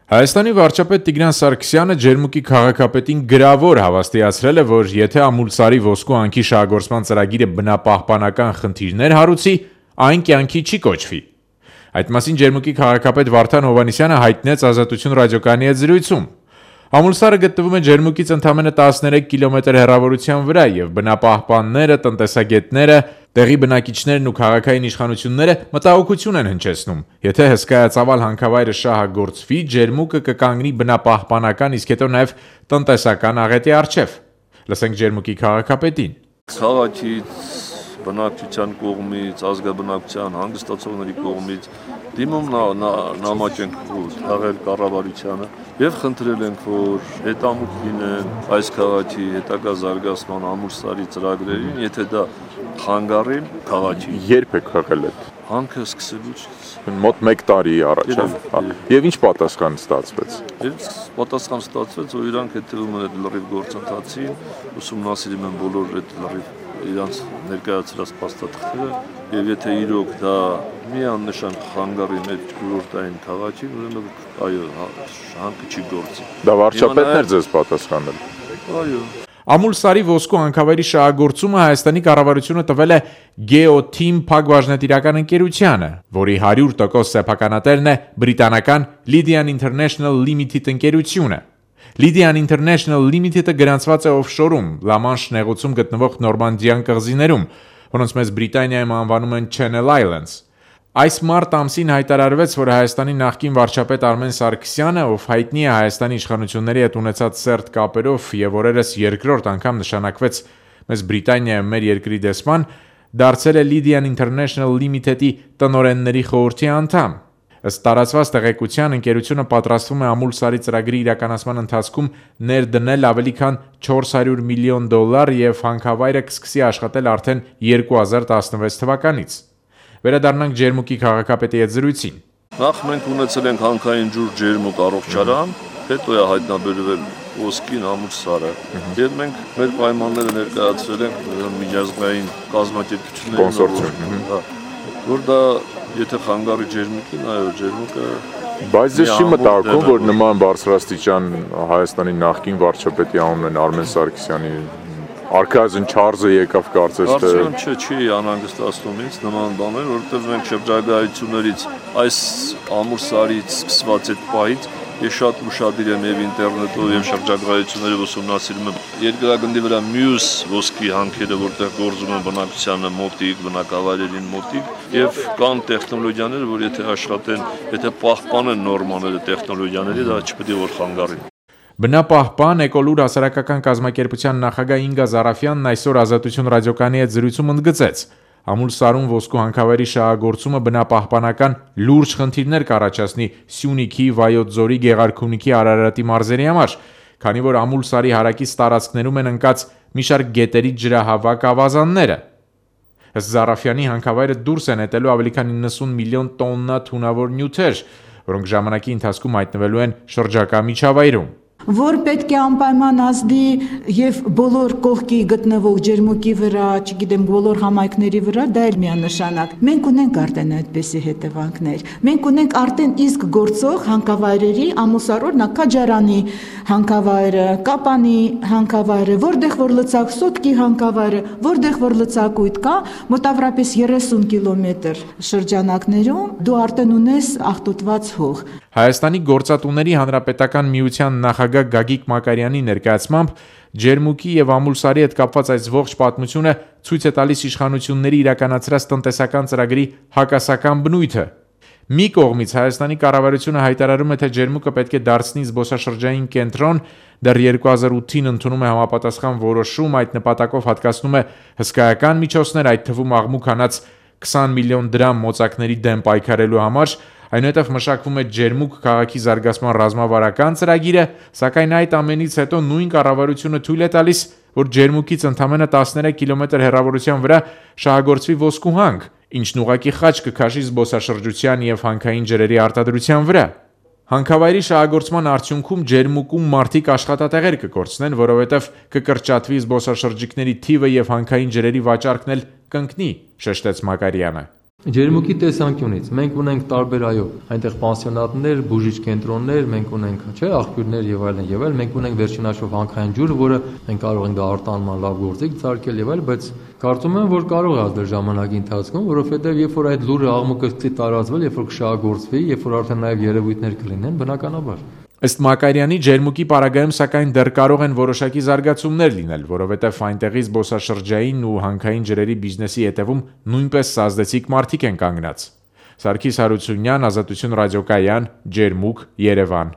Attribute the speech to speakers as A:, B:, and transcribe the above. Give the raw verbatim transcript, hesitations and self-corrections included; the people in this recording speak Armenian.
A: Հայաստանի վարչապետ Տիգրան Սարգսյանը Ջերմուկի քաղաքապետին գրավոր հավաստիացրել է, որ եթե Ամուլսարի ոսկու հանքի շահագործման ծրագիրը բնապահպանական խնդիրներ հարուցի, այն կյանքի չի կոչվի։ Այդ մասին Ջերմուկի քաղաքապետ Վարդան Հովհաննիսյանը հայտնեց Ազատություն ռադիոկայանի հետ զրույցում։ Ամուլսարը գտնվում է Ջերմուկից ընդամենը տասներեք կիլոմետր հեռավորության վրա և բնապահպանները, տնտեսագետները, տեղի բնակիչներն ու քաղաքային իշխանությունները մտահոգություն են հնչեցնում. եթե հսկայածավալ հանքավայրը շահագործվի, Ջերմուկը կկանգնի բնապահպանական, իսկ հետո նաև տնտեսական աղետի առջև։ Լսենք Ջերմուկի քաղաքապետին.
B: Քաղաքից, բնակչության կողմից, ազգաբնակչության, հանգստացողների կողմից դիմում նամակ ենք թաղել կառավարությանը և խնդրել ենք, որ հետամուտ լինեն այս քաղաքի հետագա զարգացման Ամուլսարի ծրագրերին, եթե դա խանգարեն քաղաքին։
C: Երբ եք հղել այդ
B: հանքը սկսելուց
C: մոտ մեկ տարի առաջ, եւ ինչ պատասխան ստացվեց։
B: Եվ պատասխան ստացվեց, որ իրանք հետևում են այդ լրիվ գործընթացին, ուսումնասիրում են բոլոր այդ լրիվ իրանց ներկայացրած փաստաթղթերը, եւ եթե իրոք դա միանշան խանգարի մեր կուրորտային քաղաքին, ուրեմն այո, հանքը չի գործի։
C: Դա վարչապետն էր ձեզ պատասխանել։
B: Այո։
A: Ամուլսարի ոսկու հանքավայրի շահագործումը Հայաստանի կառավարությունը տվել է Geoteam փակbaşնետիրական ընկերությանը, որի հարյուր տոկոս սեփականատերն է բրիտանական Lydian International Limited ընկերությունը։ Lydian International Limited-ը գրանցված է օֆշորում, Լամանշ նեղուցում գտնվող Նորմանդիան կղզիներում, որոնց մեծ Բրիտանիայում անվանում են Channel Islands։ Այս մարտ ամսին հայտարարվեց, որ Հայաստանի նախկին վարչապետ Արմեն Սարգսյանը, ով հայտնի է Հայաստանի իշխանությունների հետ ունեցած սերտ կապերով եւ օրերս երկրորդ անգամ նշանակվեց մեծ Բրիտանիայում մեր երկրի դեսպան, դարձել է Lydian International Limited-ի տնօրենների խորհրդի անդամ։ Ըստ տարածված տեղեկության, ընկերությունը պատրաստվում է Ամուլսարի ծրագրի իրականացման ընթացքում ներդնել ավելի քան չորս հարյուր միլիոն դոլար եւ հանքավայրը կսկսի աշխատել արդեն երկու հազար տասնվեց թվականից։ Վերադառնանք Ջերմուկի քաղաքապետի հետ զրույցին։
B: Նախ մենք ունեցել ենք հանքային ջուր Ջերմուկ առողջարան, հետո է հայտնաբերվել ոսկին Ամուլսարը, եւ մենք մեր պայմանները ներկայացրել ենք միջազգային կազմակերպություններին, որ դա եթե խանգարի Ջերմուկին, այո, Ջերմուկը։
C: Բայց ես չի մտահոգում, որ նման բարձրաստիճան Հայաստանի նախկին վարչապետի անունն Արմեն Սարգսյանի Արքայազն Չարլզը եկավ կարծես թե
B: Արդյոք չէ, չի անհանգստացնում ինձ նման բաներ, որովհետև մենք շրջագայություններից այս Ամուլսարից սկսված այդ պահից ես շատ ուշադիր եմ եւ ինտերնետով եւ շրջագայություններով ուսումնասիրում եմ երկրագնդի վրա մյուս ոսկի հանքերը, որտեղ գործում են բնակչությանը մոտիկ, բնակավայրերին մոտիկ եւ կան տեխնոլոգիաներ, որ եթե աշխատեն, եթե պահպանեն նորմաները տեխնոլոգիաների, դա չպետք է որ խանգարի։
A: Բնապահպան Էկոլուր հասարակական կազմակերպության նախագահ Ինգա Զարաֆյանն այսօր Ազատություն ռադիոկայանի հետ զրույցում ընդգծեց. Ամուլսարում ոսկու հանքավայրի շահագործումը բնապահպանական լուրջ խնդիրներ կառաջացնի Սյունիքի, Վայոց ձորի, Գեղարքունիքի, Արարատի մարզերի համար, քանի որ Ամուլսարի հարակից տարածքներում են ընկած մի շարք գետերի ջրահավաք ավազանները։ Ըստ Զարաֆյանի հանքավայրը դուրս է նետելու ավելի քան իննսուն միլիոն տոննա թունավոր նյութեր, որոնք ժամանակի ընթացքում հայտնվելու են շրջակա միջավայրում։
D: Որ պետք է անպայման ազդի եւ բոլոր կողքի գտնվող Ջերմուկի վրա, չգիտեմ, բոլոր համայնքների վրա, դա էլ միանշանակ։ Մենք ունենք արդեն այդպիսի հետևանքներ։ Մենք ունենք արդեն իսկ գործող հանքավայրերի Ամուլսարոր Նաքաջարանի հանքավայրը, Կապանի հանքավայրը, որտեղ որ լցակ Սոտկի հանքավայրը, որտեղ որ լցակույտ կա, մոտավորապես երեսուն կիլոմետր շրջանակներում դու արդեն ունես աղտոտված հող։
A: Հայաստանի գործատուների հանրապետական միության նախագահ Գագիկ Մակարյանի ներկայացմամբ Ջերմուկի եւ Ամուլսարի հետ կապված այս ողջ պատմությունը ցույց է տալիս իշխանությունների իրականացրած տնտեսական ծրագրի հակասական բնույթը։ Մի կողմից Հայաստանի կառավարությունը հայտարարում է, թե Ջերմուկը պետք է դարձնի զբոսաշրջային կենտրոն, դեռ երկու հազար ութին ընդունում է համապատասխան որոշում, այդ նպատակով հատկացնում է հսկայական միջոցներ, այդ թվում աղմուկ հանած քսան միլիոն դրամ մոծակների դեմ պայքարելու համար, այնուհետև մշակվում է Ջերմուկ քաղաքի զարգացման ռազմավարական ծրագիրը, սակայն այդ ամենից հետո նույն կառավարությունը թույլ է տալիս, որ Ջերմուկից ընդամենը տասներեք կիլոմետր հեռավորության վրա շահագործվի ոսկու հանք, ինչն ուղղակի խաչ կքաշի զբոսաշրջության եւ հանքային ջրերի արտադրության վրա։ Հանքավայրի շահագործման արդյունքում Ջերմուկում մարդիկ աշխատատեղեր կկորցնեն, որովհետև կկրճատվի զբոսաշրջիկների թիվը եւ հանքային ջրերի վաճառքն էլ կընկնի, շեշտեց Մակարյանը։
E: Ջերմուկի տեսանկյունից մենք ունենք տարբեր այո, այնտեղ պանսիոնատներ, բուժիչ կենտրոններ, մենք ունենք, չէ, աղբյուրներ եւ այլն եւ այլն, մենք ունենք վերջին հաշվով հանքային ջուր, որը մենք կարող ենք դա արտանման լավ գործիք ցարկել եւ այլ, բայց կարծում եմ, որ կարող է ազդել ժամանակի ընթացքում, որովհետեւ երբ որ այդ լուրը աղմուկը սկսի տարածվել, երբ որ կշահագործվի, երբ որ արդեն նաեւ երևույթներ կլինեն, բնականաբար
A: Ըստ Մակարյանի ջերմուկի պարագայում սակայն դեռ կարող են որոշակի զարգացումներ լինել, որովհետև այնտեղի զբոսաշրջային ու հանքային ջրերի բիզնեսի հետևում նույնպես սազդեցիկ մարդիկ են կանգնած։ Սարգիս Հարությունյան, Ազատություն ռադիոկայան, Ջերմուկ, Երևան։